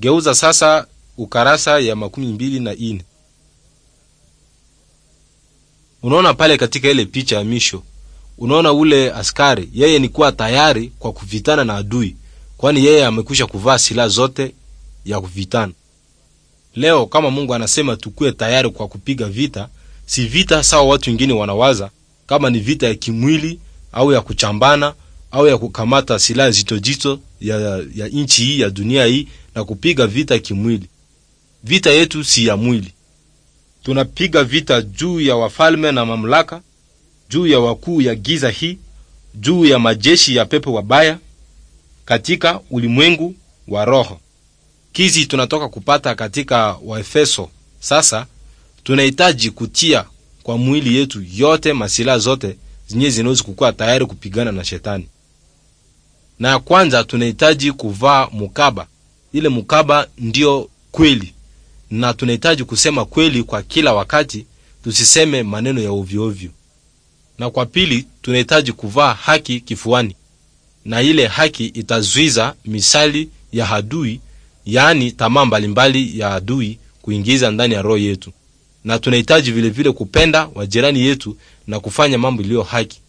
Geuza sasa ukarasa ya 24. Unaona pale katika ile picha ya misho, unaona ule askari yeye ni kuwa tayari kwa kuvitana na adui, kwani yeye amekwisha kuvaa silaha zote ya kuvitana. Leo kama Mungu anasema tukuwe tayari kwa kupiga vita, si vita sawa watu wengine wanawaza kama ni vita ya kimwili au ya kuchambana au ya kukamata silaha zito ya nchi hii ya dunia hii na kupiga vita kimwili. Vita yetu si ya mwili. Tunapiga vita juu ya wafalme na mamlaka, juu ya wakuu ya giza hii, juu ya majeshi ya pepo wabaya katika ulimwengu wa roho. Kizi tunatoka kupata katika Waefeso. Sasa tunahitaji kutia kwa mwili yetu yote masilaha zote zenye zinaweza kukuwa tayari kupigana na shetani. Na ya kwanza tunahitaji kuvaa mukaba. Ile mukaba ndiyo kweli, na tunahitaji kusema kweli kwa kila wakati, tusiseme maneno ya ovyo ovyo. Na kwa pili tunahitaji kuvaa haki kifuani, na ile haki itazuiza misali ya adui, yaani tamaa mbalimbali ya adui kuingiza ndani ya roho yetu. Na tunahitaji vilevile kupenda wajirani yetu na kufanya mambo iliyo haki.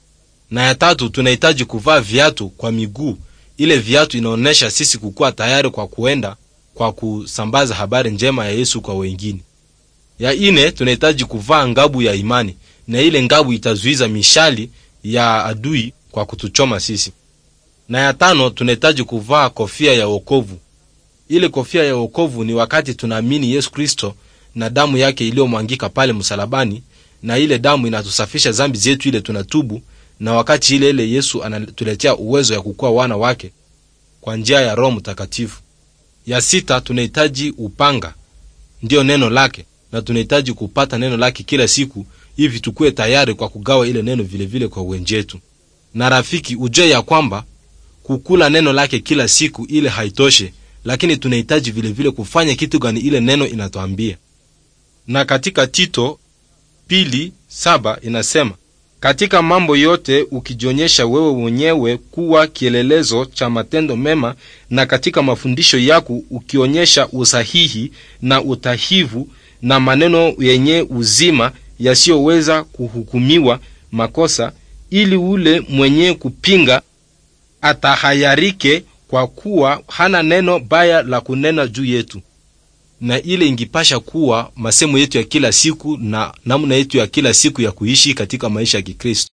Na ya tatu tunahitaji kuvaa viatu kwa miguu. Ile viatu inaonyesha sisi kukuwa tayari kwa kuenda kwa kusambaza habari njema ya Yesu kwa wengine. Ya ine tunahitaji kuvaa ngabu ya imani, na ile ngabu itazuiza mishali ya adui kwa kutuchoma sisi. Na ya tano tunahitaji kuvaa kofia ya wokovu. Ile kofia ya wokovu ni wakati tunaamini Yesu Kristo na damu yake iliyomwangika pale msalabani, na ile damu inatusafisha zambi zetu, ile tunatubu, na wakati ile ile Yesu anatuletea uwezo ya kukuwa wana wake kwa njia ya Roho Mtakatifu. Ya sita tunahitaji upanga, ndiyo neno lake, na tunahitaji kupata neno lake kila siku hivi tukuwe tayari kwa kugawa ile neno vilevile vile kwa wenjetu. Na rafiki, ujue ya kwamba kukula neno lake kila siku ile haitoshe, lakini tunahitaji vilevile kufanya kitu gani ile neno inatuambia. Na katika Tito 2:7 inasema, katika mambo yote ukijionyesha wewe mwenyewe kuwa kielelezo cha matendo mema, na katika mafundisho yako ukionyesha usahihi na utahivu na maneno yenye uzima yasiyoweza kuhukumiwa makosa, ili ule mwenye kupinga atahayarike, kwa kuwa hana neno baya la kunena juu yetu. Na ile ingipasha kuwa masemo yetu ya kila siku na namna yetu ya kila siku ya kuishi katika maisha ya Kikristo.